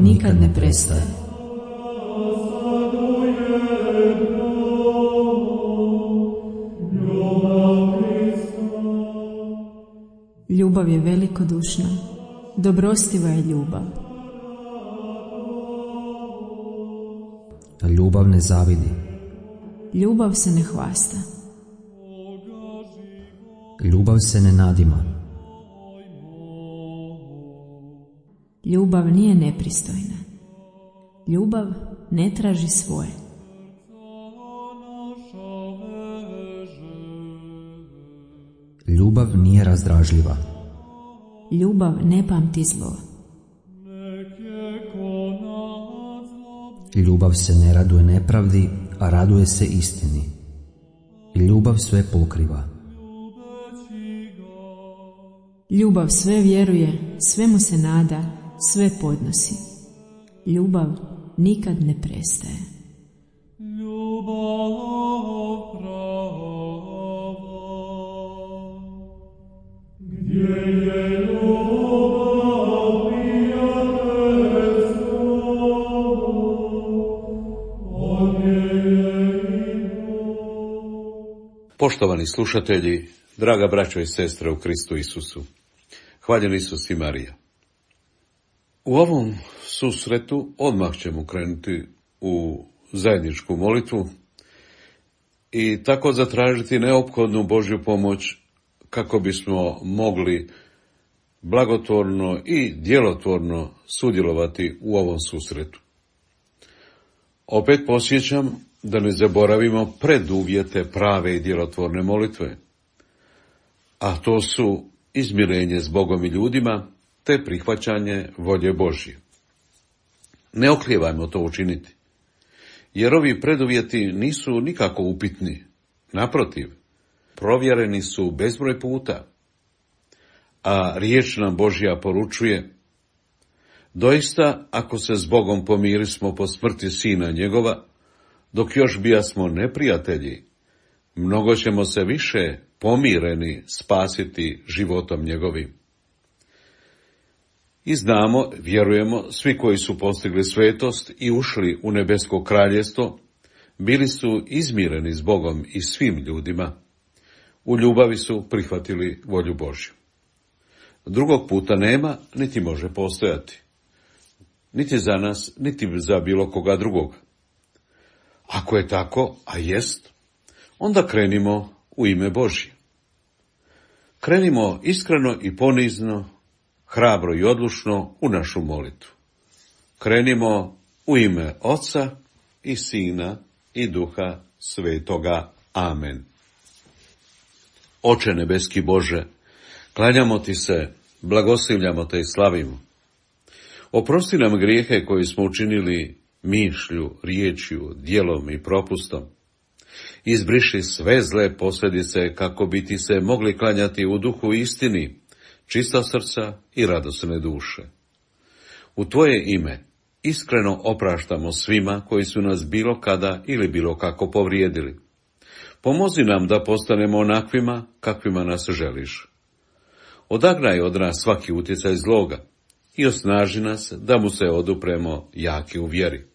nikad ne prestaje. Ljubav je velikodušna, dobrostiva je ljubav. Ljubav ne zavidi. Ljubav se ne hvasta. Ljubav se ne nadima. Ljubav nije nepristojna. Ljubav ne traži svoje. Ljubav nije razdražljiva. Ljubav ne pamti zlo. Ljubav se ne raduje nepravdi, a raduje se istini. Ljubav sve pokriva. Ljubav sve vjeruje, svemu se nada, sve podnosi. Ljubav nikad ne prestaje. Poštovani slušatelji, draga braćo i sestre u Kristu Isusu, hvaljen Isus i Marija. U ovom susretu odmah ćemo krenuti u zajedničku molitvu i tako zatražiti neophodnu Božju pomoć kako bismo mogli blagotvorno i djelotvorno sudjelovati u ovom susretu. Opet podsjećam da ne zaboravimo preduvjete prave i djelotvorne molitve, a to su izmirenje s Bogom i ljudima, te prihvaćanje volje Božje. Ne oklijevajmo to učiniti, jer ovi preduvjeti nisu nikako upitni. Naprotiv, provjereni su bezbroj puta, a riječ nam Božja poručuje: doista, ako se s Bogom pomirismo po smrti Sina njegova, dok još bijasmo neprijatelji, mnogo ćemo se više pomireni spasiti životom njegovim. I znamo, vjerujemo, svi koji su postigli svetost i ušli u nebesko kraljevstvo, bili su izmireni s Bogom i svim ljudima. U ljubavi su prihvatili volju Božju. Drugog puta nema, niti može postojati. Niti za nas, niti za bilo koga drugoga. Ako je tako, a jest, onda krenimo u ime Božje. Krenimo iskreno i ponizno, hrabro i odlučno u našu molitvu. Krenimo u ime Oca i Sina i Duha Svetoga. Amen. Oče nebeski Bože, klanjamo ti se, blagoslivljamo te i slavimo. Oprosti nam grijehe koje smo učinili mišlju, riječju, djelom i propustom. Izbriši sve zle posljedice kako bi ti se mogli klanjati u duhu i istini, čista srca i radosne duše. U tvoje ime iskreno opraštamo svima koji su nas bilo kada ili bilo kako povrijedili. Pomozi nam da postanemo onakvima kakvima nas želiš. Odagnaj od nas svaki utjecaj zloga i osnaži nas da mu se odupremo jaki u vjeri.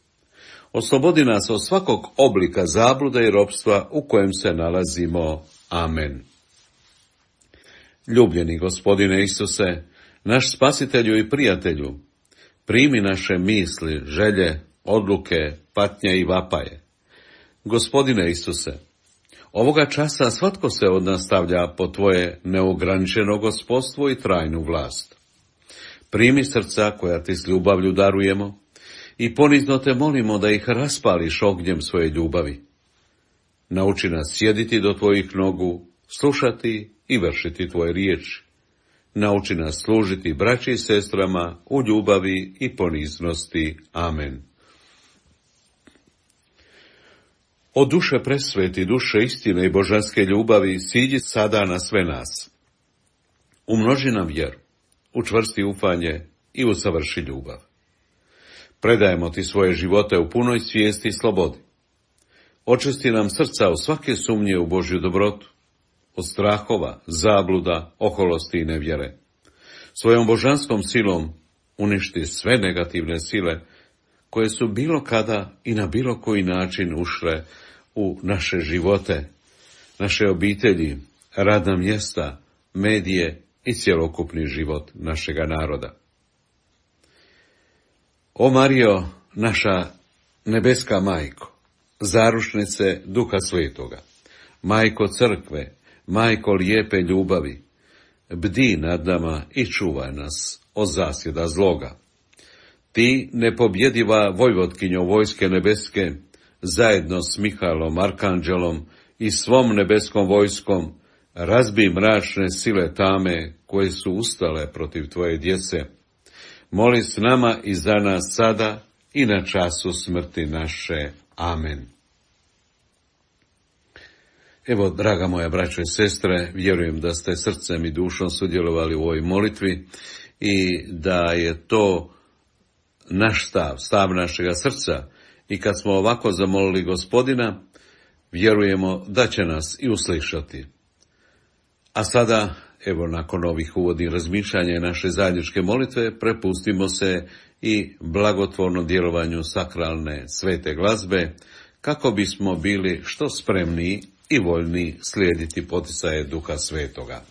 Oslobodi nas od svakog oblika zablude i ropstva u kojem se nalazimo. Amen. Ljubljeni Gospodine Isuse, naš spasitelju i prijatelju, primi naše misli, želje, odluke, patnje i vapaje. Gospodine Isuse, ovoga časa svatko se od nas stavlja po tvoje neograničeno gospodstvo i trajnu vlast. Primi srca koja ti s ljubavlju darujemo i ponizno te molimo da ih raspališ ognjem svoje ljubavi. Nauči nas sjediti do tvojih nogu, slušati i vršiti tvoje riječi. Nauči nas služiti braći i sestrama u ljubavi i poniznosti. Amen. O duše presveti, duše istine i božanske ljubavi, siđi sada na sve nas. Umnoži nam vjeru, učvrsti ufanje i usavrši ljubav. Predajemo ti svoje živote u punoj svijesti i slobodi. Očisti nam srca od svake sumnje u Božju dobrotu, od strahova, zabluda, oholosti i nevjere. Svojom božanskom silom uništi sve negativne sile koje su bilo kada i na bilo koji način ušle u naše živote, naše obitelji, radna mjesta, medije i cjelokupni život našega naroda. O Marijo, naša nebeska majko, zaručnice Duha Svetoga, majko crkve, majko lijepe ljubavi, bdi nad nama i čuvaj nas od zasjeda zloga. Ti, nepobjediva vojvotkinjo vojske nebeske, zajedno s Mihaelom, arkanđelom i svom nebeskom vojskom, razbi mračne sile tame koje su ustale protiv tvoje djece. Moli s nama i za nas sada i na času smrti naše. Amen. Evo, draga moja braćo i sestre, vjerujem da ste srcem i dušom sudjelovali u ovoj molitvi i da je to naš stav našega srca. I kad smo ovako zamolili Gospodina, vjerujemo da će nas i uslišati. A sada, evo, nakon ovih uvodnih razmišljanja i naše zajedničke molitve, prepustimo se i blagotvornom djelovanju sakralne svete glazbe, kako bismo bili što spremniji i voljni slijediti poticaje Duha Svetoga.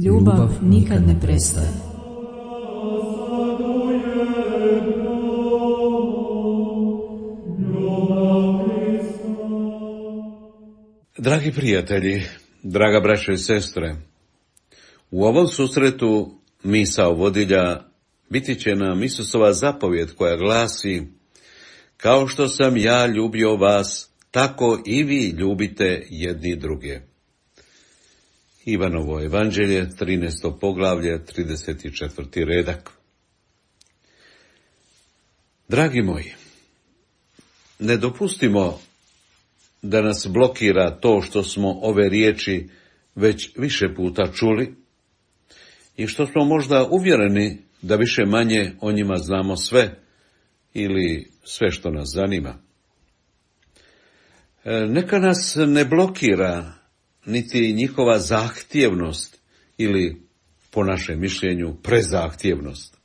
Ljubav nikad ne prestaje. Dragi prijatelji, draga braćo i sestre, u ovom susretu misao vodilja biti će nam Isusova zapovjed koja glasi: kao što sam ja ljubio vas, tako i vi ljubite jedni druge. Ivanovo evanđelje, 13. poglavlje, 34. redak. Dragi moji, ne dopustimo da nas blokira to što smo ove riječi već više puta čuli i što smo možda uvjereni da više manje o njima znamo sve ili sve što nas zanima. Neka nas ne blokira niti njihova zahtjevnost ili, po našem mišljenju, prezahtjevnost.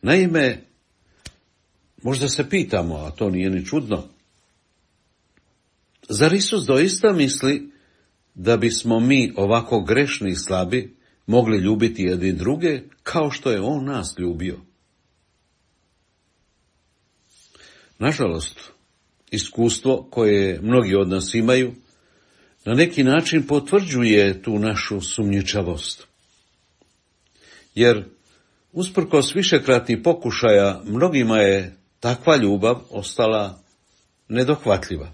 Naime, možda se pitamo, a to nije ni čudno, zar Isus doista misli da bismo mi ovako grešni i slabi mogli ljubiti jedni druge kao što je On nas ljubio? Nažalost, iskustvo koje mnogi od nas imaju na neki način potvrđuje tu našu sumnjičavost. Jer, usprkos višekratnih pokušaja, mnogima je takva ljubav ostala nedohvatljiva.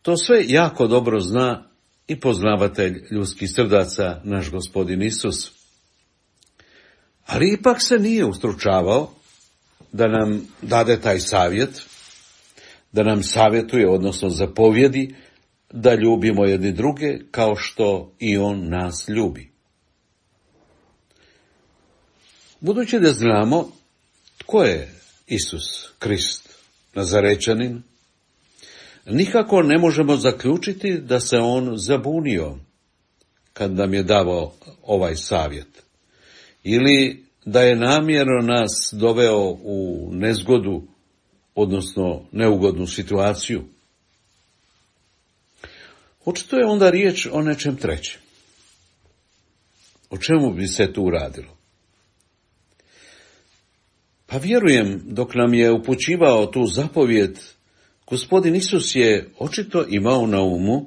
To sve jako dobro zna i poznavatelj ljudskih srdaca, naš Gospodin Isus. Ali ipak se nije ustručavao da nam dade taj savjet, da nam savjetuje, odnosno zapovjedi, da ljubimo jedni druge kao što i on nas ljubi. Budući da znamo tko je Isus Krist, Nazarečanin, nikako ne možemo zaključiti da se on zabunio kad nam je davao ovaj savjet, ili da je namjerno nas doveo u nezgodu, odnosno neugodnu situaciju. Očito je onda riječ o nečem trećem. O čemu bi se tu radilo? Pa vjerujem, dok nam je upućivao tu zapovjed, Gospodin Isus je očito imao na umu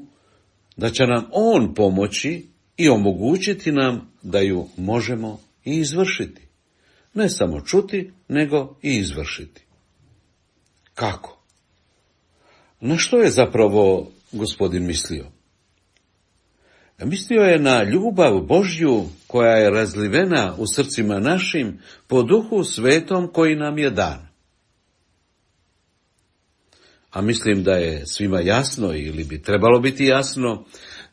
da će nam on pomoći i omogućiti nam da ju možemo i izvršiti. Ne samo čuti, nego i izvršiti. Kako? Na što je zapravo Gospodin mislio? Mislio je na ljubav Božju koja je razlivena u srcima našim po Duhu Svetom koji nam je dan. A mislim da je svima jasno, ili bi trebalo biti jasno,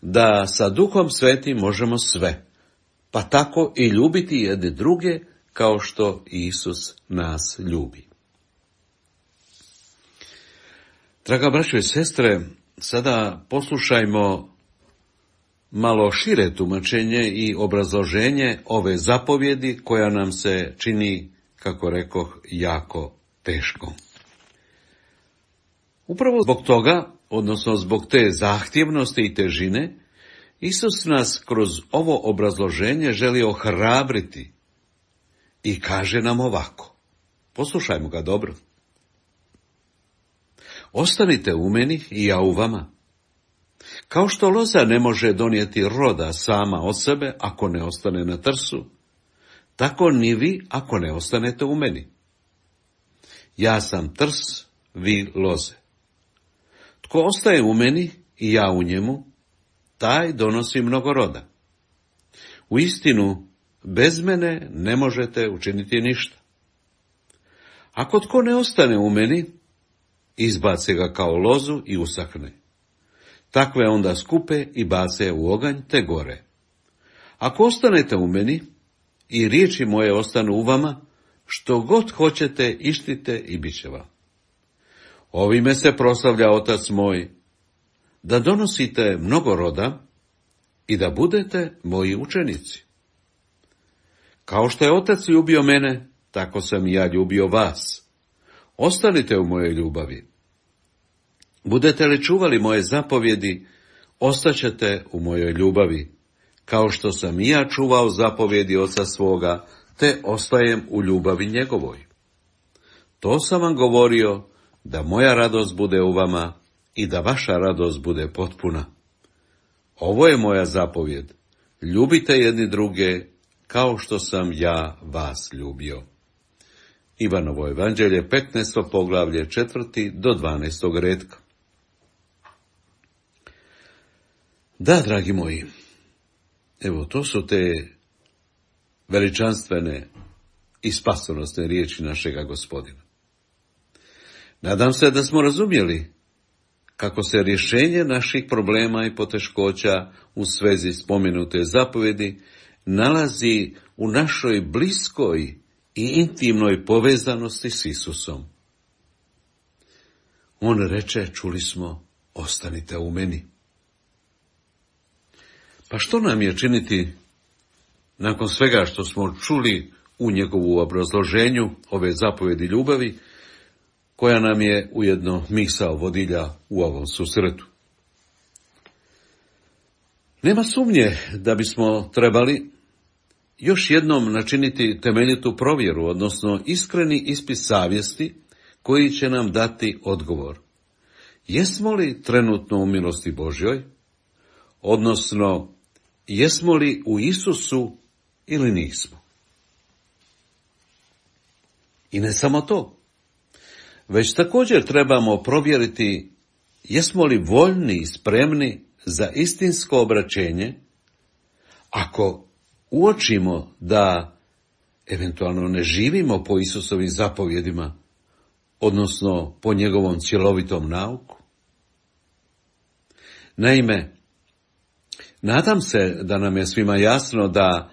da sa Duhom Svetim možemo sve, pa tako i ljubiti jedne druge kao što Isus nas ljubi. Draga braćo i sestre, sada poslušajmo malo šire tumačenje i obrazloženje ove zapovjedi koja nam se čini, kako rekoh, jako teško. Upravo zbog toga, odnosno zbog te zahtjevnosti i težine, Isus nas kroz ovo obrazloženje želi ohrabriti i kaže nam ovako. Poslušajmo ga dobro. Ostanite u meni i ja u vama. Kao što loza ne može donijeti roda sama od sebe ako ne ostane na trsu, tako ni vi ako ne ostanete u meni. Ja sam trs, vi loze. Tko ostaje u meni i ja u njemu, taj donosi mnogo roda. Uistinu, bez mene ne možete učiniti ništa. Ako tko ne ostane u meni, izbace ga kao lozu i usahne. Takve onda skupe i bace u oganj te gore. Ako ostanete u meni i riječi moje ostanu u vama, što god hoćete ištite i bit će vam. Ovime se proslavlja Otac moj, da donosite mnogo roda i da budete moji učenici. Kao što je Otac ljubio mene, tako sam i ja ljubio vas. Ostanite u mojoj ljubavi. Budete li čuvali moje zapovjedi, ostaćete u mojoj ljubavi, kao što sam i ja čuvao zapovjedi Oca svoga, te ostajem u ljubavi njegovoj. To sam vam govorio, da moja radost bude u vama i da vaša radost bude potpuna. Ovo je moja zapovjed, ljubite jedni druge, kao što sam ja vas ljubio. Ivanovo evanđelje, 15. poglavlje, 4. do 12. retka. Da, dragi moji, evo, to su te veličanstvene i spasonosne riječi našega Gospodina. Nadam se da smo razumjeli kako se rješenje naših problema i poteškoća u svezi spomenute zapovjedi nalazi u našoj bliskoj i intimnoj povezanosti s Isusom. On reče, čuli smo, ostanite u meni. Pa što nam je činiti nakon svega što smo čuli u njegovu obrazloženju ove zapovjedi ljubavi, koja nam je ujedno misao vodilja u ovom susretu? Nema sumnje da bismo trebali još jednom načiniti temeljitu provjeru, odnosno iskreni ispit savjesti koji će nam dati odgovor. Jesmo li trenutno u milosti Božjoj, odnosno jesmo li u Isusu ili nismo? I ne samo to. već također trebamo provjeriti jesmo li voljni i spremni za istinsko obraćenje, ako uočimo da eventualno ne živimo po Isusovim zapovjedima, odnosno po njegovom cjelovitom nauku. Naime, nadam se da nam je svima jasno da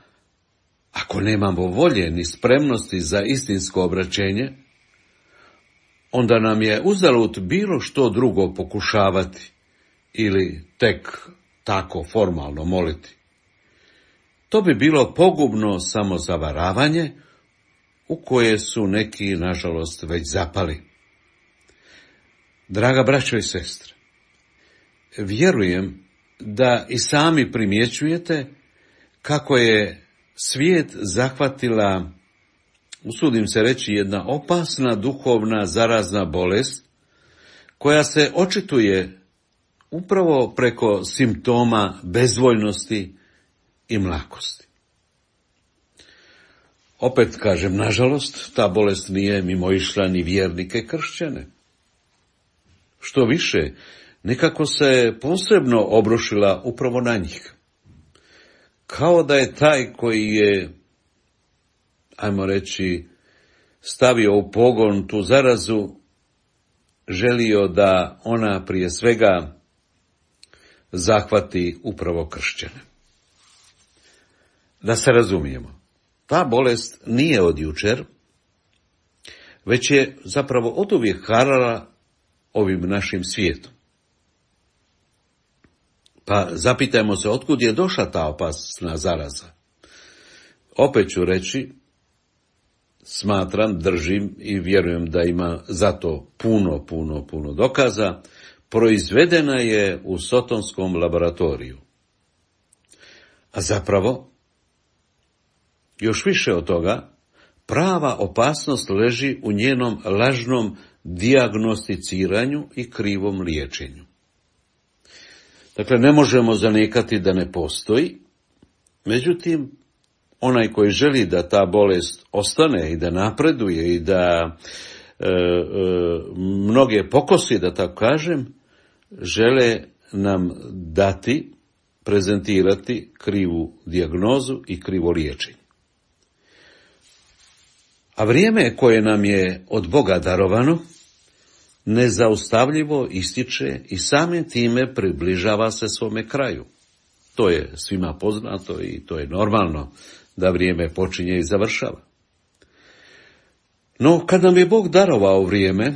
ako nemamo volje ni spremnosti za istinsko obraćenje, onda nam je uzalud bilo što drugo pokušavati ili tek tako formalno moliti. To bi bilo pogubno samozavaravanje u koje su neki, nažalost, već zapali. Draga braćo i sestre, vjerujem da i sami primjećujete kako je svijet zahvatila, usudim se reći, jedna opasna duhovna zarazna bolest koja se očituje upravo preko simptoma bezvoljnosti i mlakosti. Opet kažem, nažalost, ta bolest nije mimoišla ni vjernike kršćane. Što više, nekako se posebno obrušila upravo na njih. Kao da je taj koji je, ajmo reći, stavio u pogon tu zarazu, želio da ona prije svega zahvati upravo kršćane. Da se razumijemo, ta bolest nije od jučer, već je zapravo oduvijek harala ovim našim svijetom. Pa zapitajmo se otkud je došla ta opasna zaraza. Opet ću reći, smatram, držim i vjerujem da ima za to puno dokaza, proizvedena je u sotonskom laboratoriju. A zapravo, još više od toga, prava opasnost leži u njenom lažnom dijagnosticiranju i krivom liječenju. Dakle, ne možemo zanijekati da ne postoji, međutim, onaj koji želi da ta bolest ostane i da napreduje i da mnoge pokosi, da tako kažem, žele nam dati, prezentirati krivu dijagnozu i krivo liječenje. A vrijeme koje nam je od Boga darovano, nezaustavljivo ističe i samim time približava se svome kraju. To je svima poznato i to je normalno da vrijeme počinje i završava. No, kad nam je Bog darovao vrijeme,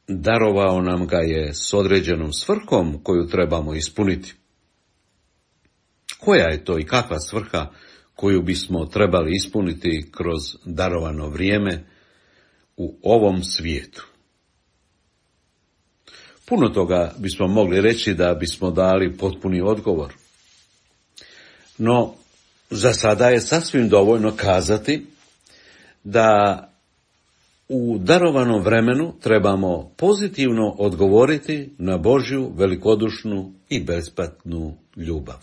darovao nam ga je s određenom svrhom koju trebamo ispuniti. Koja je to i kakva svrha koju bismo trebali ispuniti kroz darovano vrijeme u ovom svijetu? Puno toga bismo mogli reći da bismo dali potpuni odgovor. No, za sada je sasvim dovoljno kazati da u darovanom vremenu trebamo pozitivno odgovoriti na Božju velikodušnu i besplatnu ljubav.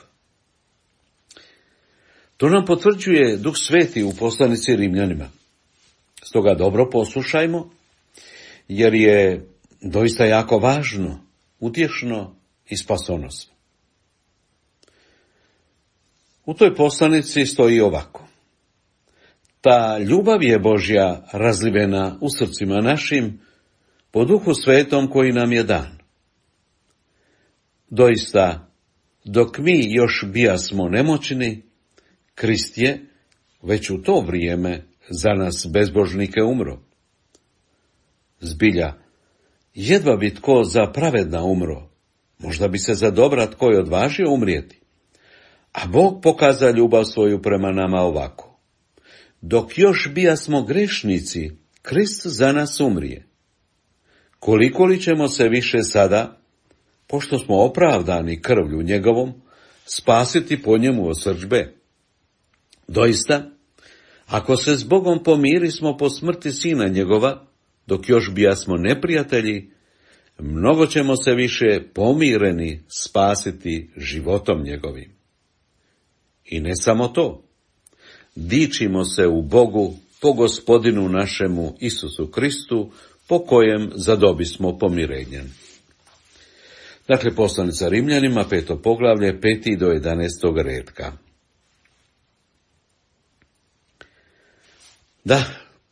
To nam potvrđuje Duh Sveti u poslanici Rimljanima. Stoga dobro poslušajmo, jer je doista jako važno, utješno i spasonosno. U toj poslanici stoji ovako: ta ljubav je Božja razlivena u srcima našim po Duhu Svetom koji nam je dan. Doista, dok mi još bijasmo nemoćni, Krist je već u to vrijeme za nas bezbožnike umro. Zbilja, jedva bi tko za pravedna umro, možda bi se za dobra tko je odvažio umrijeti. A Bog pokaza ljubav svoju prema nama ovako: dok još bijasmo grešnici, Krist za nas umrije. Koliko li ćemo se više sada, pošto smo opravdani krvlju njegovom, spasiti po njemu od srdžbe? Doista, ako se s Bogom pomirismo po smrti sina njegova, dok još bijasmo neprijatelji, mnogo ćemo se više pomireni spasiti životom njegovim. I ne samo to, dičimo se u Bogu po Gospodinu našemu Isusu Kristu po kojem zadobismo pomirenje. Dakle, poslanica Rimljanima, 5. poglavlje, 5. do 11. redka. Da,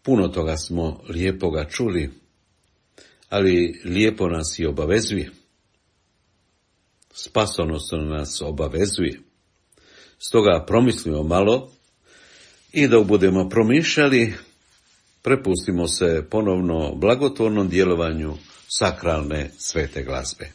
puno toga smo lijepoga čuli, ali lijepo nas i obavezuje. Spasonosno nas obavezuje. Stoga promislimo malo i dok budemo promišljali, prepustimo se ponovno blagotvornom djelovanju sakralne svete glazbe.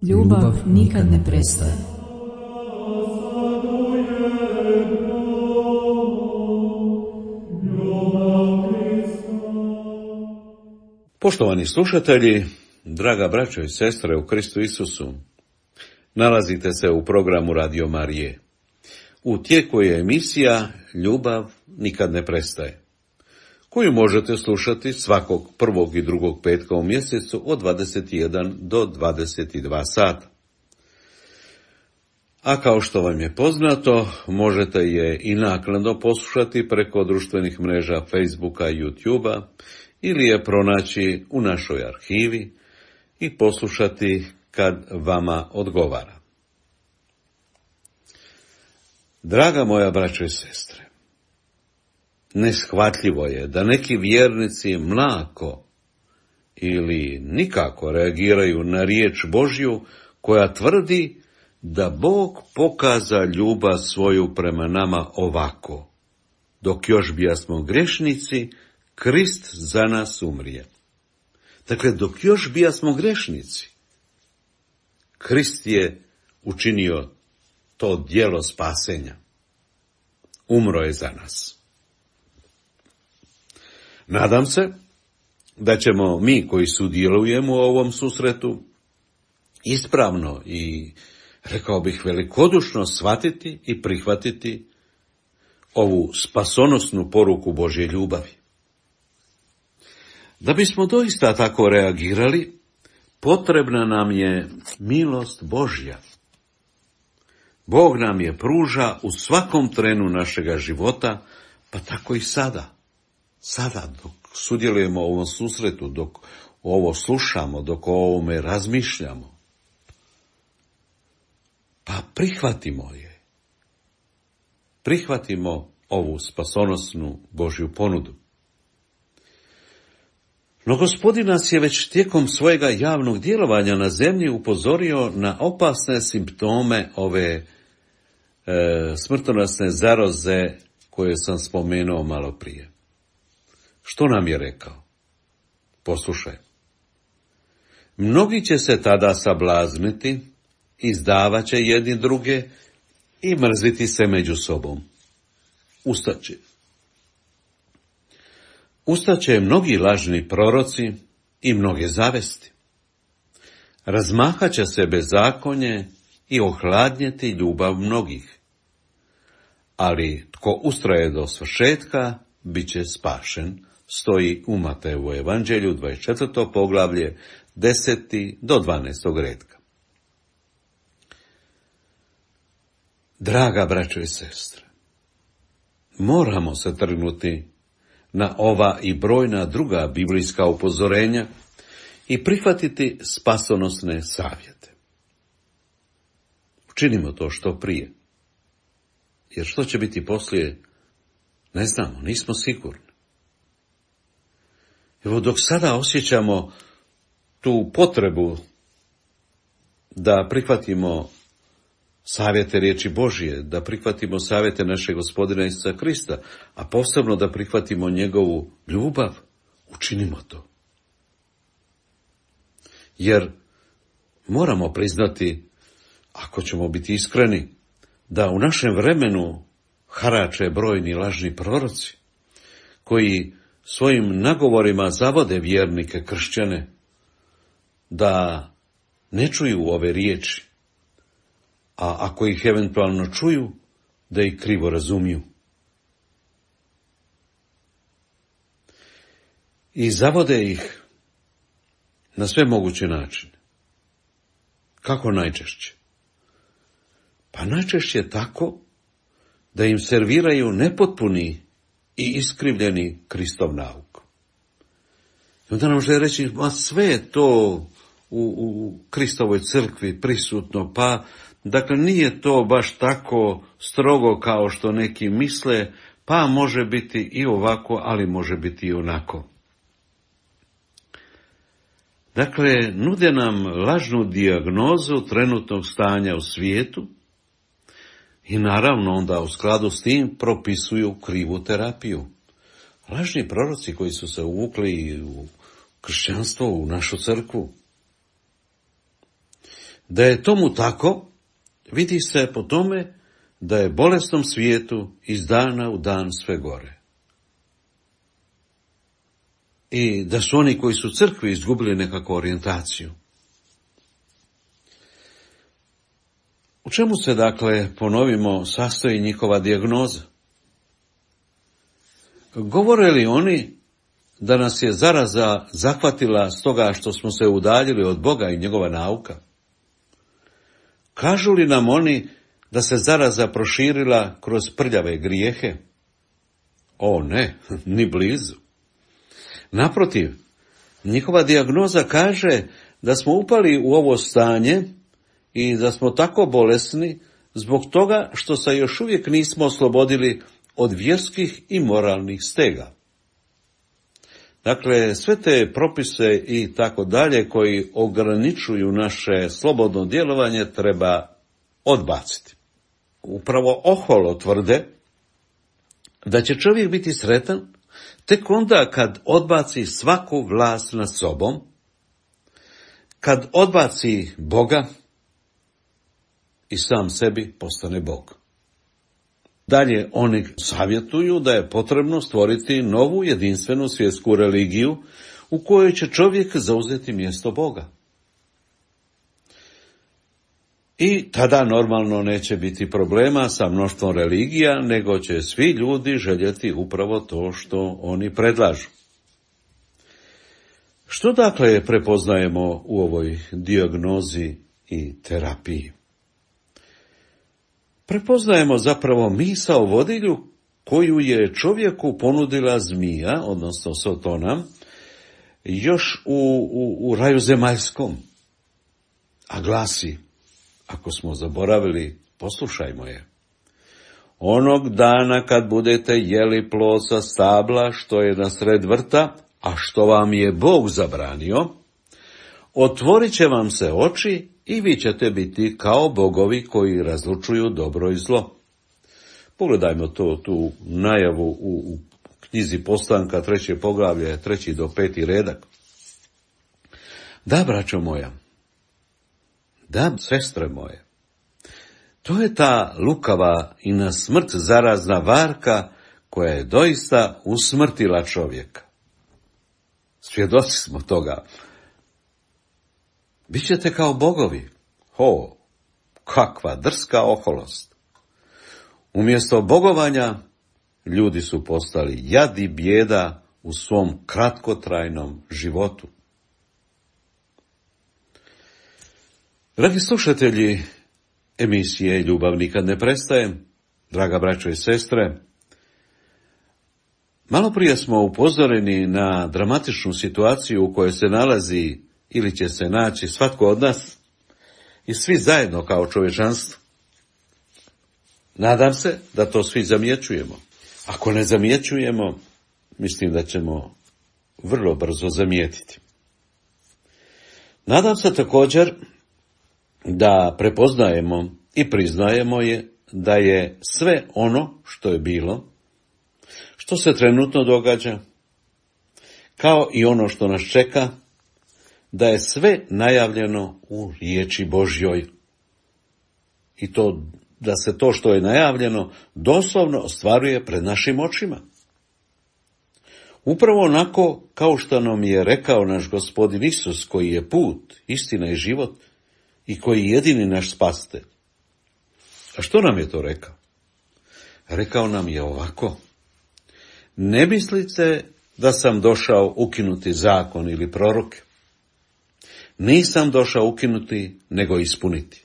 Ljubav nikad ne prestaje. Poštovani slušatelji, draga braćo i sestre u Kristu Isusu, nalazite se u programu Radio Marije. U tijeku je emisija Ljubav nikad ne prestaje, koju možete slušati svakog prvog i drugog petka u mjesecu od 21 do 22 sata. A kao što vam je poznato, možete je i naknadno poslušati preko društvenih mreža Facebooka i YouTubea ili je pronaći u našoj arhivi i poslušati kad vama odgovara. Draga moja braćo i sestre, neshvatljivo je da neki vjernici mlako ili nikako reagiraju na riječ Božju koja tvrdi da Bog pokaza ljubav svoju prema nama ovako: dok još bijasmo grešnici, Krist za nas umrije. Dakle, dok još bijasmo grešnici, Krist je učinio to djelo spasenja. umro je za nas. Nadam se da ćemo mi koji sudjelujemo u ovom susretu ispravno i, rekao bih, velikodušno shvatiti i prihvatiti ovu spasonosnu poruku Božje ljubavi. Da bismo doista tako reagirali, potrebna nam je milost Božja. Bog nam je pruža u svakom trenu našega života, pa tako i sada. Sada, dok sudjelujemo u ovom susretu, dok ovo slušamo, dok o ovome razmišljamo. Pa prihvatimo je. Prihvatimo ovu spasonosnu Božju ponudu. No Gospodin nas je već tijekom svojega javnog djelovanja na zemlji upozorio na opasne simptome ove smrtonosne zaroze koje sam spomenuo malo prije. Što nam je rekao? Poslušaj. Mnogi će se tada sablazniti, izdavat će jedni druge i mrziti se među sobom. Ustaće mnogi lažni proroci i mnoge zavesti. Razmahat će se bezakonje i ohladnjeti ljubav mnogih. Ali tko ustraje do svršetka, bit će spašen, stoji u Matejevu evanđelju 24. poglavlje 10. do 12. redka. Draga braćo i sestre, moramo se trgnuti na ova i brojna druga biblijska upozorenja i prihvatiti spasonosne savjete. Učinimo to što prije. Jer što će biti poslije, ne znamo, nismo sigurni. Evo, dok sada osjećamo tu potrebu da prihvatimo savjete riječi Božje, da prihvatimo savjete našeg Gospodina Isusa Krista, a posebno da prihvatimo njegovu ljubav, učinimo to. Jer moramo priznati, ako ćemo biti iskreni, da u našem vremenu harače brojni lažni proroci, koji svojim nagovorima zavode vjernike kršćane da ne čuju ove riječi, a ako ih eventualno čuju, da ih krivo razumiju. I zavode ih na sve moguće načine. Kako najčešće? Pa najčešće tako da im serviraju nepotpuni i iskrivljeni Kristov nauk. I onda nam žele reći, ma sve je to u Kristovoj crkvi prisutno, pa dakle nije to baš tako strogo kao što neki misle, pa može biti i ovako, ali može biti i onako. Dakle, nude nam lažnu dijagnozu trenutnog stanja u svijetu i naravno onda u skladu s tim propisuju krivu terapiju. Lažni proroci koji su se uvukli u kršćanstvo, u našu crkvu. Da je tomu tako, vidi se po tome da je bolesnom svijetu iz dana u dan sve gore. I da su oni koji su crkvi izgubili nekakvu orijentaciju. U čemu se, dakle, ponovimo, sastoji njihova dijagnoza? Govore li oni da nas je zaraza zahvatila stoga što smo se udaljili od Boga i njegova nauka? Kažu li nam oni da se zaraza proširila kroz prljave grijehe? O ne, ni blizu. Naprotiv, njihova dijagnoza kaže da smo upali u ovo stanje i da smo tako bolesni zbog toga što se još uvijek nismo oslobodili od vjerskih i moralnih stega. Dakle, sve te propise i tako dalje koji ograničuju naše slobodno djelovanje treba odbaciti. Upravo oholo tvrde da će čovjek biti sretan tek onda kad odbaci svaku vlast nad sobom, kad odbaci Boga i sam sebi postane Bog. Dalje, oni savjetuju da je potrebno stvoriti novu jedinstvenu svjetsku religiju u kojoj će čovjek zauzeti mjesto Boga. I tada normalno neće biti problema sa mnoštvom religija, nego će svi ljudi željeti upravo to što oni predlažu. Što dakle prepoznajemo u ovoj dijagnozi i terapiji? Prepoznajemo zapravo misao vodilju koju je čovjeku ponudila zmija, odnosno Sotona, još u raju zemaljskom, a glasi, ako smo zaboravili, poslušajmo je. Onog dana kad budete jeli plod sa stabla što je na sred vrta, a što vam je Bog zabranio, otvorit će vam se oči i vi ćete biti kao bogovi koji razlučuju dobro i zlo. Pogledajmo tu najavu u knjizi Postanka, 3. poglavlje, 3. do 5. redak. Da, braćo moja, da, sestre moje, to je ta lukava i na smrt zarazna varka koja je doista usmrtila čovjeka. Svjedoci smo toga. Bićete kao bogovi. Kakva drska oholost. Umjesto bogovanja, ljudi su postali jad i bijeda u svom kratkotrajnom životu. Dragi slušatelji emisije Ljubav nikad ne prestaje, draga braćo i sestre, malo prije smo upozoreni na dramatičnu situaciju u kojoj se nalazi ili će se naći svatko od nas i svi zajedno kao čovječanstvo. Nadam se da to svi zamjećujemo. Ako ne zamjećujemo, mislim da ćemo vrlo brzo zamijetiti. Nadam se također da prepoznajemo i priznajemo da je sve ono što je bilo, što se trenutno događa, kao i ono što nas čeka, da je sve najavljeno u riječi Božjoj. I to, da se to što je najavljeno doslovno ostvaruje pred našim očima. Upravo onako kao što nam je rekao naš Gospodin Isus, koji je put, istina i život i koji je jedini naš spasitelj. A što nam je to rekao? Rekao nam je ovako: ne mislite da sam došao ukinuti zakon ili proroke. Nisam došao ukinuti, nego ispuniti.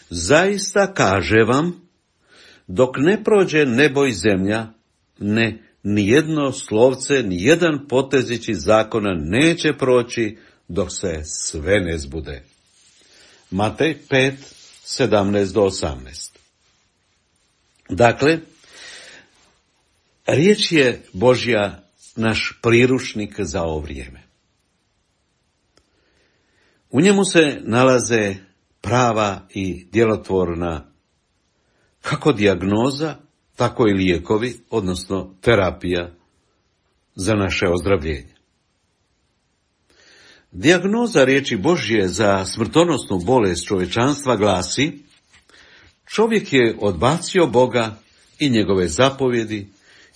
Zaista kaže vam, dok ne prođe nebo i zemlja, nijedno slovce, nijedan potezić iz zakona neće proći dok se sve ne zbude. Matej 5, 17 do 18. Dakle, riječ je Božja naš priručnik za ovo vrijeme. U njemu se nalaze prava i djelotvorna kako dijagnoza, tako i lijekovi, odnosno terapija za naše ozdravljenje. Dijagnoza riječi Božje za smrtonosnu bolest čovječanstva glasi: čovjek je odbacio Boga i njegove zapovjedi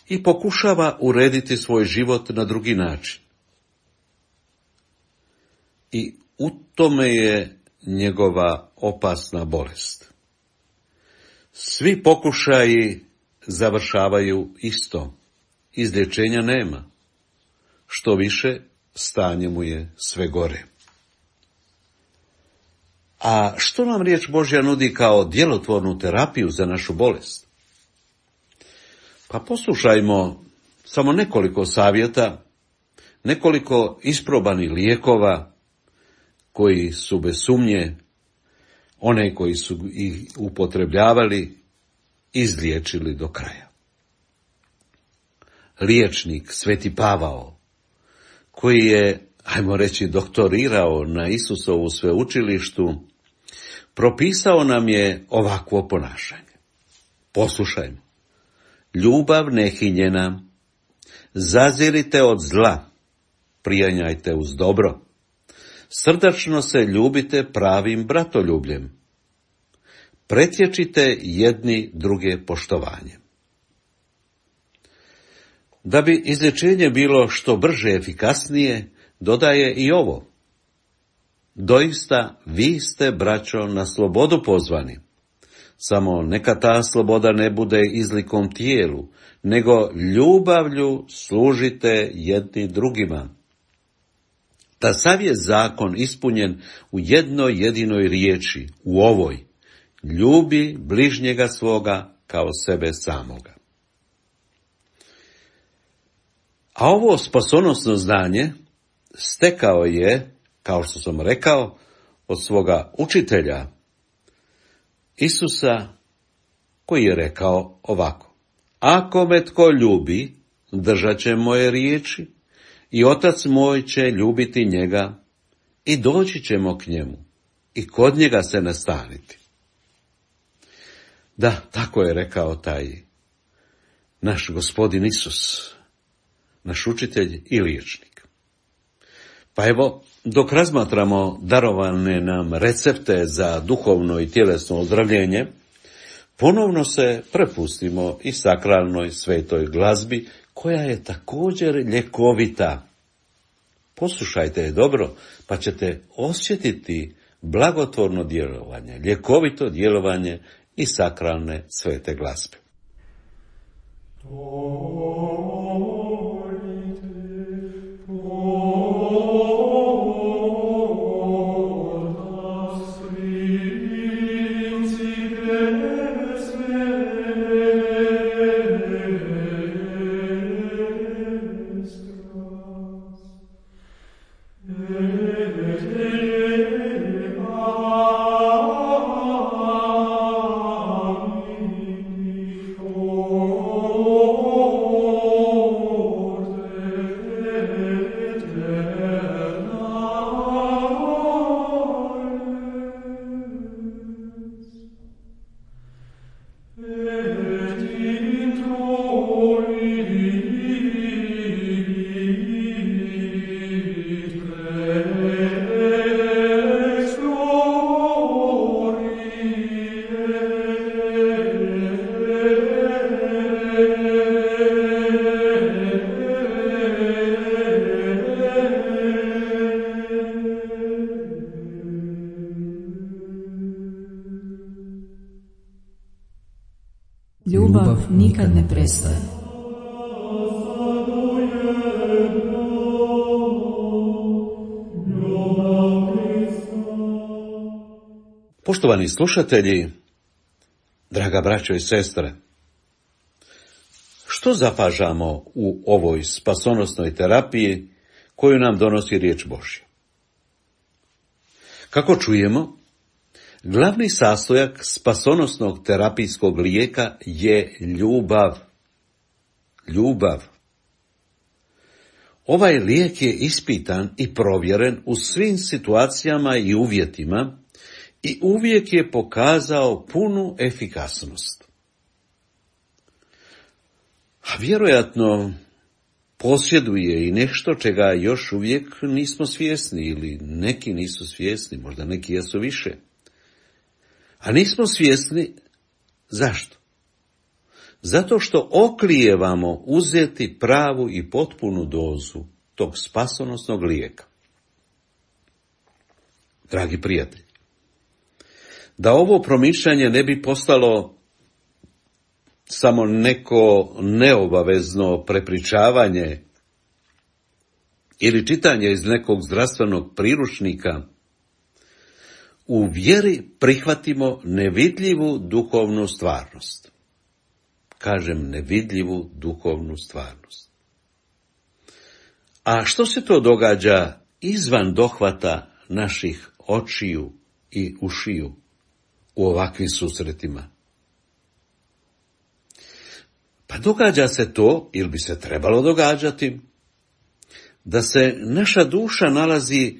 i pokušava urediti svoj život na drugi način. I u tome je njegova opasna bolest. Svi pokušaji završavaju isto. Izlječenja nema. Što više, stanje mu je sve gore. A što nam riječ Božja nudi kao djelotvornu terapiju za našu bolest? Pa poslušajmo samo nekoliko savjeta, nekoliko isprobanih lijekova koji su bez sumnje one koji su ih upotrebljavali izliječili do kraja. Liječnik Sveti Pavao, koji je, ajmo reći, doktorirao na Isusovu sveučilištu, propisao nam je ovakvo ponašanje. Poslušajmo. Ljubav nehinjena, zazirite od zla, prijanjajte uz dobro, srdačno se ljubite pravim bratoljubljem, pretječite jedni druge poštovanjem. Da bi izlječenje bilo što brže i efikasnije, dodaje i ovo. Doista, vi ste, braćo, na slobodu pozvani. Samo neka ta sloboda ne bude izlikom tijelu, nego ljubavlju služite jedni drugima. Da sav je zakon ispunjen u jednoj jedinoj riječi, u ovoj: ljubi bližnjega svoga kao sebe samoga. A ovo spasonosno znanje stekao je, kao što sam rekao, od svoga učitelja, Isusa, koji je rekao ovako: ako me tko ljubi, držat će moje riječi, i Otac moj će ljubiti njega, i doći ćemo k njemu, i kod njega se nastaniti. Da, tako je rekao taj naš Gospodin Isus, naš učitelj i liječnik. Pa evo, dok razmatramo darovane nam recepte za duhovno i tjelesno ozdravljenje, ponovno se prepustimo i sakralnoj svetoj glazbi, koja je također ljekovita. Poslušajte je dobro, pa ćete osjetiti blagotvorno djelovanje, ljekovito djelovanje i sakralne svete glazbe. Ljubav nikad ne prestaje. Poštovani slušatelji, draga braćo i sestre, što zapažamo u ovoj spasonosnoj terapiji koju nam donosi riječ Božja? Kako čujemo, glavni sastojak spasonosnog terapijskog lijeka je ljubav. Ljubav. Ovaj lijek je ispitan i provjeren u svim situacijama i uvjetima i uvijek je pokazao punu efikasnost. A vjerojatno posjeduje i nešto čega još uvijek nismo svjesni, ili neki nisu svjesni, možda neki jesu više. A nismo svjesni zašto? Zato što oklijevamo uzeti pravu i potpunu dozu tog spasonosnog lijeka. Dragi prijatelji, da ovo promišljanje ne bi postalo samo neko neobavezno prepričavanje ili čitanje iz nekog zdravstvenog priručnika, u vjeri prihvatimo nevidljivu duhovnu stvarnost. Kažem nevidljivu duhovnu stvarnost. A što se to događa izvan dohvata naših očiju i ušiju u ovakvim susretima? Pa događa se to, ili bi se trebalo događati, da se naša duša nalazi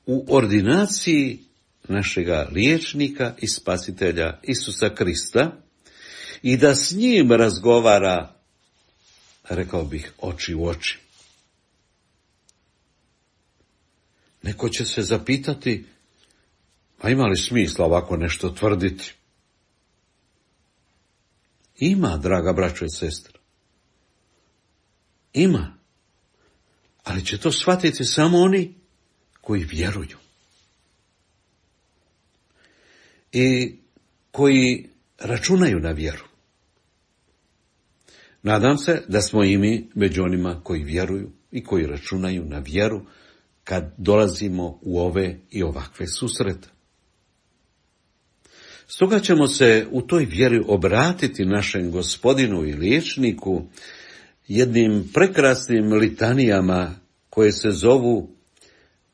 u ordinaciji našega liječnika i spasitelja Isusa Krista i da s njim razgovara, rekao bih, oči u oči. Neko će se zapitati, a ima li smisla ovako nešto tvrditi? Ima, draga braćo i sestre. Ima. Ali će to shvatiti samo oni koji vjeruju. I koji računaju na vjeru. Nadam se da smo i mi među onima koji vjeruju i koji računaju na vjeru kad dolazimo u ove i ovakve susrete. Stoga ćemo se u toj vjeri obratiti našem Gospodinu i liječniku jednim prekrasnim litanijama koje se zovu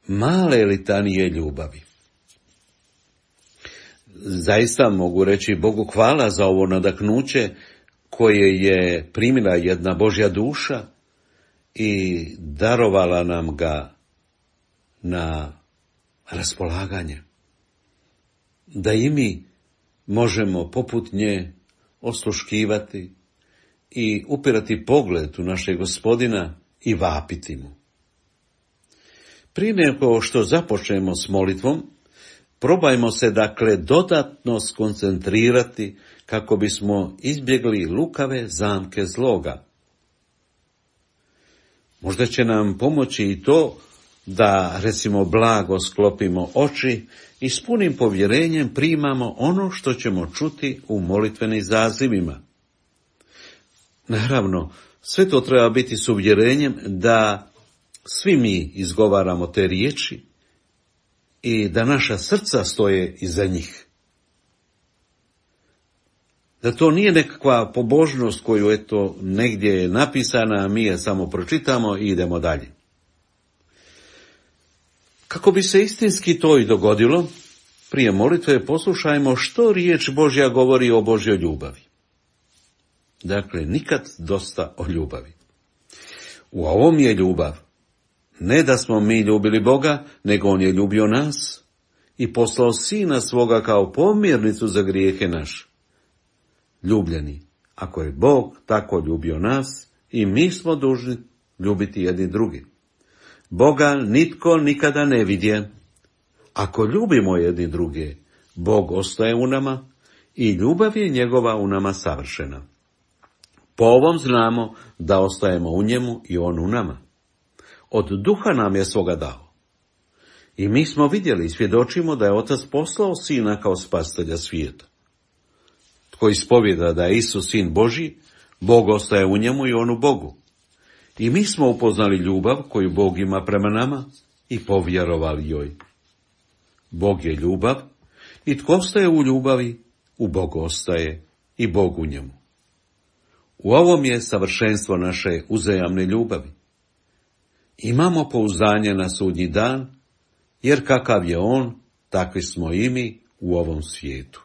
male litanije ljubavi. Zaista mogu reći Bogu hvala za ovo nadahnuće koje je primila jedna Božja duša i darovala nam ga na raspolaganje. Da i mi možemo poput nje osluškivati i upirati pogled u našeg Gospodina i vapiti mu. Prije nego što započnemo s molitvom, probajmo se dakle dodatno skoncentrirati kako bismo izbjegli lukave zamke zloga. Možda će nam pomoći i to da, recimo, blago sklopimo oči i s punim povjerenjem primamo ono što ćemo čuti u molitvenim zazivima. Naravno, sve to treba biti s uvjerenjem da svi mi izgovaramo te riječi i da naša srca stoje iza njih. Da to nije nekakva pobožnost koju negdje je napisana, a mi je samo pročitamo i idemo dalje. Kako bi se istinski to i dogodilo, prije molitve poslušajmo što riječ Božja govori o Božjoj ljubavi. Dakle, nikad dosta o ljubavi. U ovom je ljubav. Ne da smo mi ljubili Boga, nego on je ljubio nas i poslao Sina svoga kao pomirnicu za grijehe naše. Ljubljeni, ako je Bog tako ljubio nas, i mi smo dužni ljubiti jedni drugi. Boga nitko nikada ne vidje. Ako ljubimo jedni druge, Bog ostaje u nama i ljubav je njegova u nama savršena. Po ovom znamo da ostajemo u njemu i on u nama. Od duha nam je svoga dao. I mi smo vidjeli i svjedočimo da je Otac poslao Sina kao spasitelja svijeta. Tko ispovjeda da je Isus Sin Božji, Bog ostaje u njemu i on u Bogu. I mi smo upoznali ljubav koju Bog ima prema nama i povjerovali joj. Bog je ljubav i tko ostaje u ljubavi, u Bogu ostaje i Bog u njemu. U ovom je savršenstvo naše uzajamne ljubavi. Imamo pouzdanje na sudnji dan, jer kakav je on, takvi smo i mi u ovom svijetu.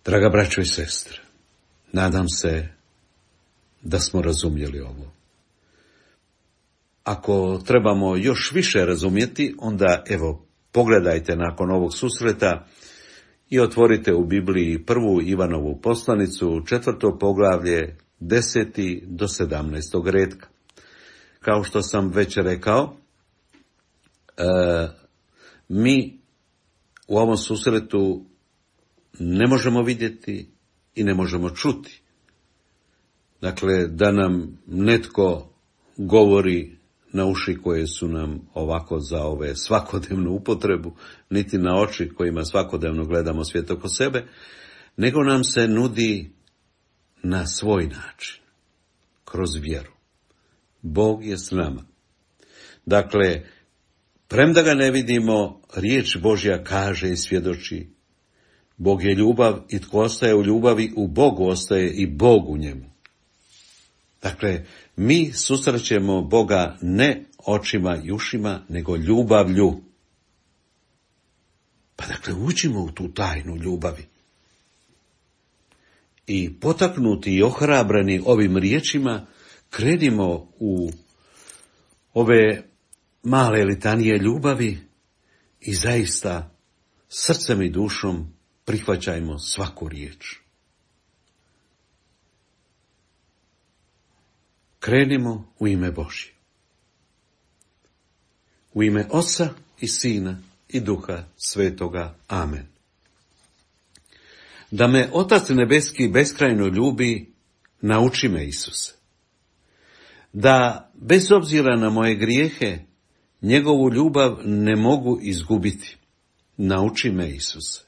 Draga braćo i sestre, nadam se da smo razumjeli ovo. Ako trebamo još više razumjeti, onda pogledajte nakon ovog susreta i otvorite u Bibliji 1. Ivanovu poslanicu, 4. poglavlje, 10. do 17. retka. Kao što sam već rekao, mi u ovom susretu ne možemo vidjeti i ne možemo čuti. Dakle, da nam netko govori na uši koje su nam ovako za ove svakodnevnu upotrebu, niti na oči kojima svakodnevno gledamo svijet oko sebe, nego nam se nudi na svoj način, kroz vjeru. Bog je s nama. Dakle, premda ga ne vidimo, riječ Božja kaže i svjedoči: Bog je ljubav i tko ostaje u ljubavi, u Bogu ostaje i Bog u njemu. Dakle, mi susrećemo Boga ne očima i ušima, nego ljubavlju. Pa dakle, uđimo u tu tajnu ljubavi. I potaknuti i ohrabreni ovim riječima, krenimo u ove male litanije ljubavi i zaista srcem i dušom prihvaćajmo svaku riječ. Krenimo u ime Božje. U ime Oca i Sina i Duha Svetoga. Amen. Da me Otac nebeski beskrajno ljubi, nauči me, Isuse. da bez obzira na moje grijehe, njegovu ljubav ne mogu izgubiti. Nauči me, Isuse.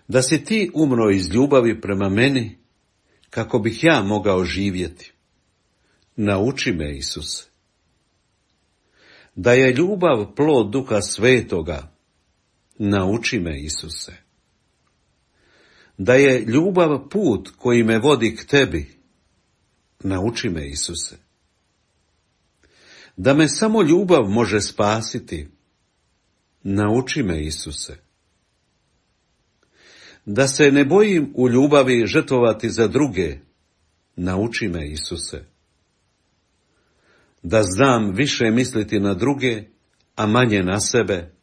Da si ti umro iz ljubavi prema meni, kako bih ja mogao živjeti. Nauči me, Isuse. Da je ljubav plod Duha Svetoga. Nauči me, Isuse. Da je ljubav put koji me vodi k tebi. Nauči me, Isuse. Da me samo ljubav može spasiti. Nauči me, Isuse. Da se ne bojim u ljubavi žrtvovati za druge. Nauči me, Isuse. Da znam više misliti na druge, a manje na sebe.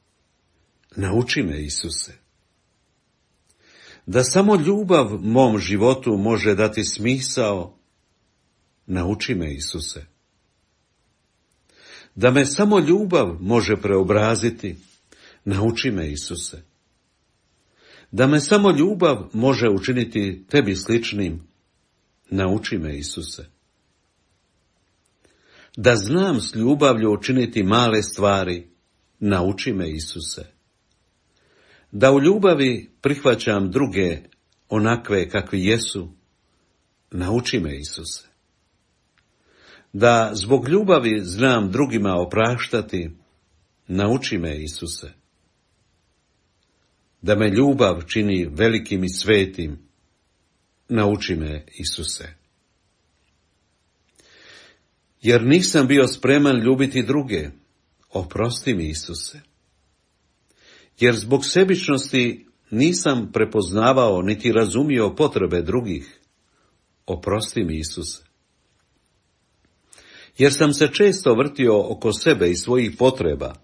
Nauči me, Isuse. Da samo ljubav mom životu može dati smisao. Nauči me, Isuse. Da me samo ljubav može preobraziti. Nauči me, Isuse. Da me samo ljubav može učiniti tebi sličnim. Nauči me, Isuse. Da znam s ljubavlju učiniti male stvari. Nauči me, Isuse. Da u ljubavi prihvaćam druge onakve kakvi jesu. Nauči me, Isuse. Da zbog ljubavi znam drugima opraštati. Nauči me, Isuse. Da me ljubav čini velikim i svetim. Nauči me, Isuse. Jer nisam bio spreman ljubiti druge. Oprosti mi, Isuse. Jer zbog sebičnosti nisam prepoznavao niti razumio potrebe drugih. Oprosti mi, Isuse. Jer sam se često vrtio oko sebe i svojih potreba.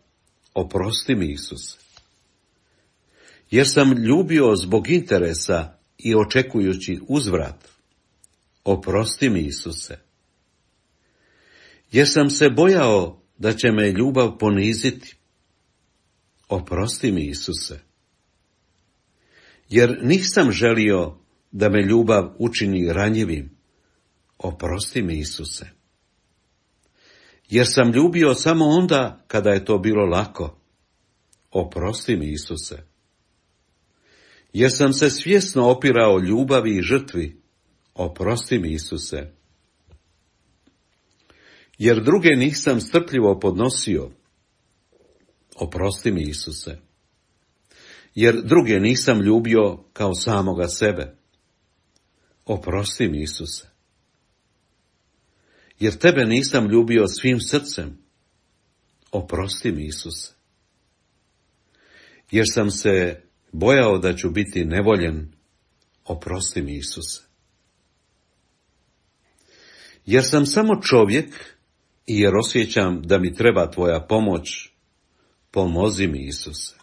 Oprosti mi, Isuse. Jer sam ljubio zbog interesa i očekujući uzvrat. Oprosti mi, Isuse. Jer sam se bojao da će me ljubav poniziti. Oprosti mi, Isuse. Jer nisam želio da me ljubav učini ranjivim. Oprosti mi, Isuse. Jer sam ljubio samo onda kada je to bilo lako. Oprosti mi, Isuse. Jer sam se svjesno opirao ljubavi i žrtvi. Oprosti mi, Isuse. Jer druge nisam strpljivo podnosio. Oprosti mi, Isuse. Jer druge nisam ljubio kao samoga sebe. Oprosti mi, Isuse. Jer tebe nisam ljubio svim srcem. Oprosti mi, Isuse. Jer sam se bojao da ću biti nevoljen. Oprosti mi, Isuse. Jer sam samo čovjek i jer osjećam da mi treba tvoja pomoć. Pomozi mi, Isuse.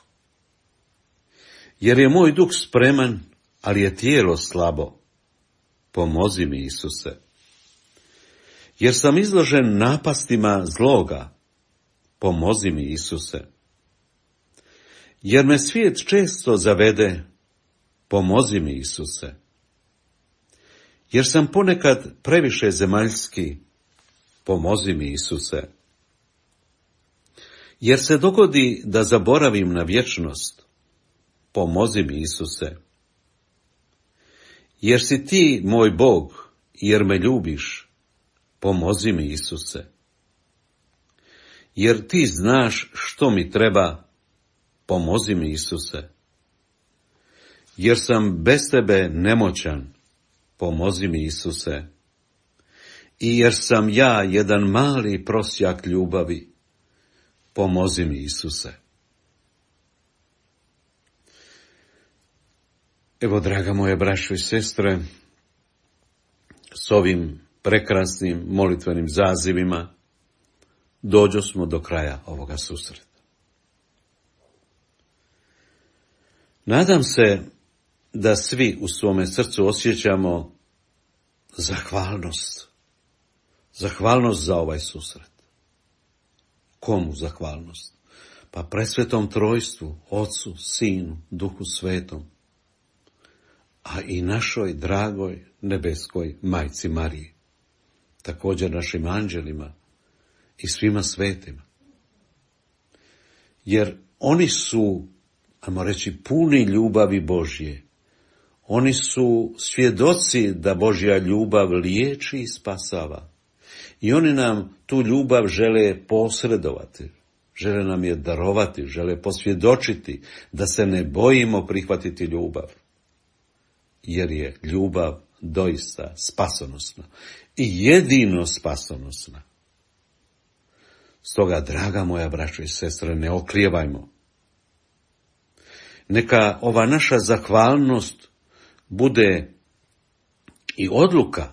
Jer je moj duh spreman, ali je tijelo slabo. Pomozi mi, Isuse. Jer sam izložen napastima zloga. Pomozi mi, Isuse. Jer me svijet često zavede. Pomozi mi, Isuse. Jer sam ponekad previše zemaljski. Pomozi mi, Isuse. Jer se dogodi da zaboravim na vječnost. Pomozi mi, Isuse. Jer si ti moj Bog, jer me ljubiš. Pomozi mi, Isuse. Jer ti znaš što mi treba. Pomozi mi, Isuse. Jer sam bez tebe nemoćan. Pomozi mi, Isuse. I jer sam ja jedan mali prosjak ljubavi. Pomozi mi, Isuse. Evo, draga moje braćo i sestre, s ovim prekrasnim molitvenim zazivima dođosmo do kraja ovoga susreta. Nadam se da svi u svome srcu osjećamo zahvalnost. Zahvalnost za ovaj susret. Komu zahvalnost? Pa presvetom trojstvu, Otcu, Sinu, Duhu Svetom, a i našoj dragoj nebeskoj Majci Mariji. također našim anđelima i svima svetima. Jer oni su, ajmo reći, puni ljubavi Božje. Oni su svjedoci da Božja ljubav liječi i spasava. I oni nam tu ljubav žele posredovati, žele nam je darovati, žele posvjedočiti da se ne bojimo prihvatiti ljubav. Jer je ljubav doista spasonosna i jedino spasonosna. Stoga, draga moja braćo i sestre, ne oklijevajmo. Neka ova naša zahvalnost bude i odluka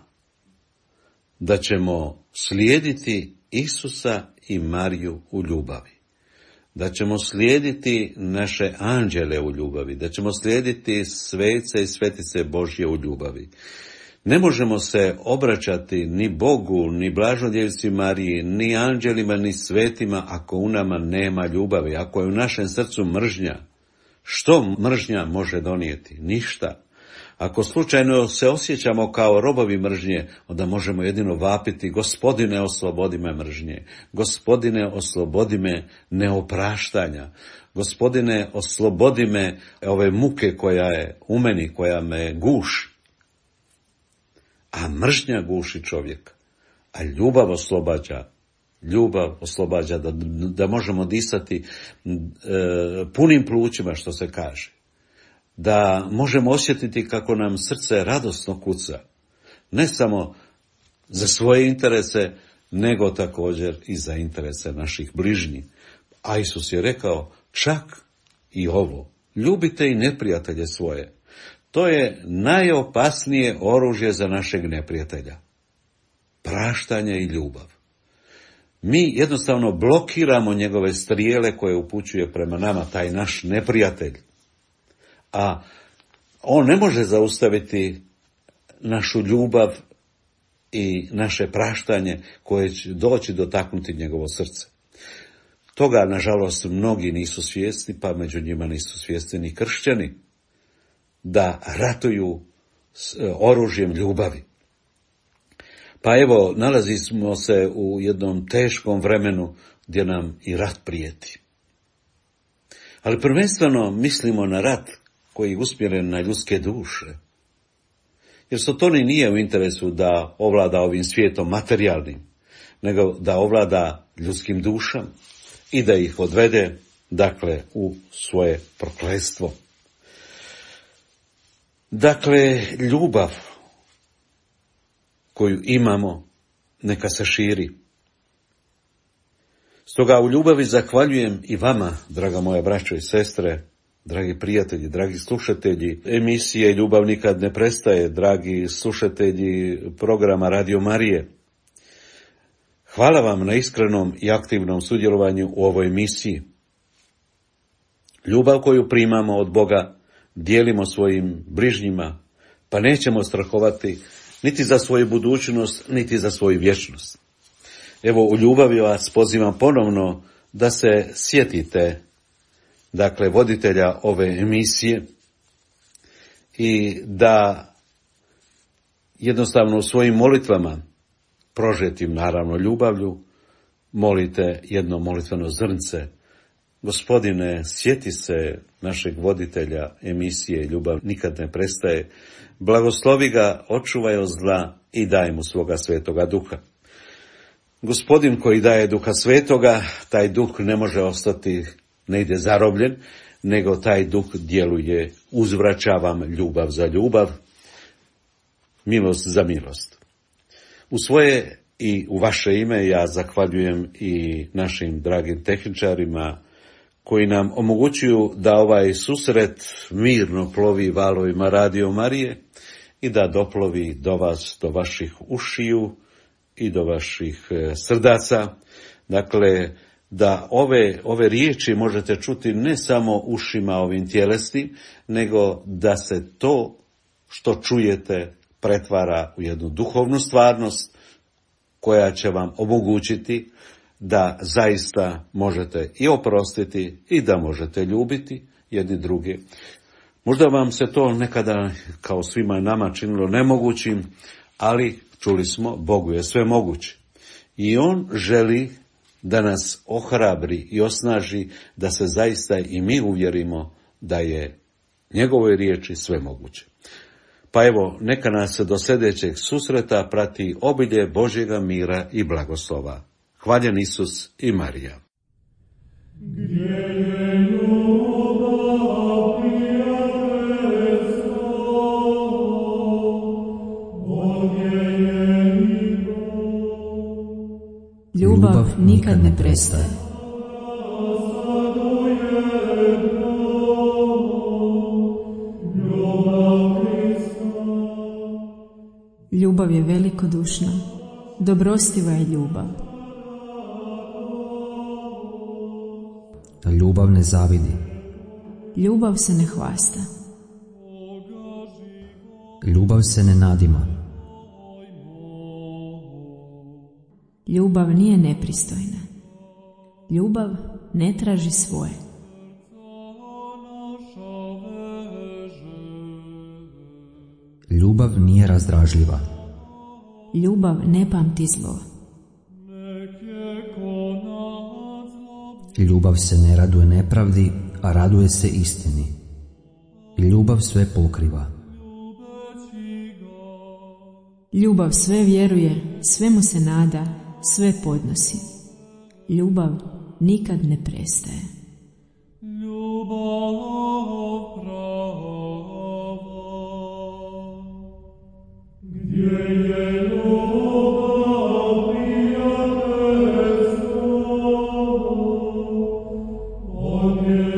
da ćemo slijediti Isusa i Mariju u ljubavi, da ćemo slijediti naše anđele u ljubavi, da ćemo slijediti svece i svetice Božje u ljubavi. Ne možemo se obraćati ni Bogu, ni Blažodjevici Mariji, ni anđelima, ni svetima ako u nama nema ljubavi, ako je u našem srcu mržnja. Što mržnja može donijeti? Ništa. Ako slučajno se osjećamo kao robovi mržnje, onda možemo jedino vapiti: Gospodine, oslobodi me mržnje, Gospodine, oslobodi me neopraštanja, Gospodine, oslobodi me ove muke koja je u meni, koja me guši. A mržnja guši čovjeka, a ljubav oslobađa da možemo disati punim plućima, što se kaže. Da možemo osjetiti kako nam srce radosno kuca, ne samo za svoje interese, nego također i za interese naših bližnjih. A Isus je rekao čak i ovo: ljubite i neprijatelje svoje. To je najopasnije oružje za našeg neprijatelja. Praštanje i ljubav. Mi jednostavno blokiramo njegove strijele koje upućuje prema nama taj naš neprijatelj. A on ne može zaustaviti našu ljubav i naše praštanje koje će doći dotaknuti njegovo srce. Toga, nažalost, mnogi nisu svjesni, pa među njima nisu svjesni ni kršćani, da ratuju s oružjem ljubavi. Pa evo, nalazimo se u jednom teškom vremenu gdje nam i rat prijeti. Ali prvenstveno mislimo na rat koji je usmjeren na ljudske duše. Jer Sotoni nije u interesu da ovlada ovim svijetom materijalnim, nego da ovlada ljudskim dušama i da ih odvede, dakle, u svoje prokletstvo. Dakle, ljubav koju imamo, neka se širi. Stoga u ljubavi zahvaljujem i vama, draga moja braćo i sestre, dragi prijatelji, dragi slušatelji emisije Ljubav nikad ne prestaje, dragi slušatelji programa Radio Marije. Hvala vam na iskrenom i aktivnom sudjelovanju u ovoj emisiji. Ljubav koju primamo od Boga dijelimo svojim bližnjima, pa nećemo strahovati niti za svoju budućnost, niti za svoju vječnost. Evo, u ljubavi vas pozivam ponovno da se sjetite, dakle, voditelja ove emisije i da jednostavno u svojim molitvama, prožetim naravno ljubavlju, molite jedno molitveno zrnce: Gospodine, sjeti se našeg voditelja emisije Ljubav nikad ne prestaje, blagoslovi ga, očuvaj od zla i daj mu svoga svetoga duha. Gospodin koji daje duha svetoga, taj duh ne može ostati negdje zarobljen, nego taj duh djeluje: uzvraćavam ljubav za ljubav, milost za milost. U svoje i u vaše ime ja zahvaljujem i našim dragim tehničarima koji nam omogućuju da ovaj susret mirno plovi valovima Radio Marije i da doplovi do vas, do vaših ušiju i do vaših srdaca. Dakle, da ove riječi možete čuti ne samo ušima ovim tjelesnim, nego da se to što čujete pretvara u jednu duhovnu stvarnost koja će vam omogućiti da zaista možete i oprostiti i da možete ljubiti jedni druge. Možda vam se to nekada, kao svima nama, činilo nemogućim, ali Čuli smo, Bogu je sve moguće. I On želi da nas ohrabri i osnaži, da se zaista i mi uvjerimo da je njegovoj riječi sve moguće. Pa evo, neka nas do sljedećeg susreta prati obilje Božjega mira i blagoslova. Hvaljen Isus i Marija. Ljubav nikad ne prestaje. Ljubav je velikodušna, dobrostiva je ljubav. Ljubav ne zavidi. Ljubav se ne hvasta. Ljubav se ne nadima. Ljubav nije nepristojna. Ljubav ne traži svoje. Ljubav nije razdražljiva. Ljubav ne pamti zlo. Ljubav se ne raduje nepravdi, a raduje se istini. Ljubav sve pokriva. Ljubav sve vjeruje, svemu se nada, sve podnosi. Ljubav nikad ne prestaje. Amen.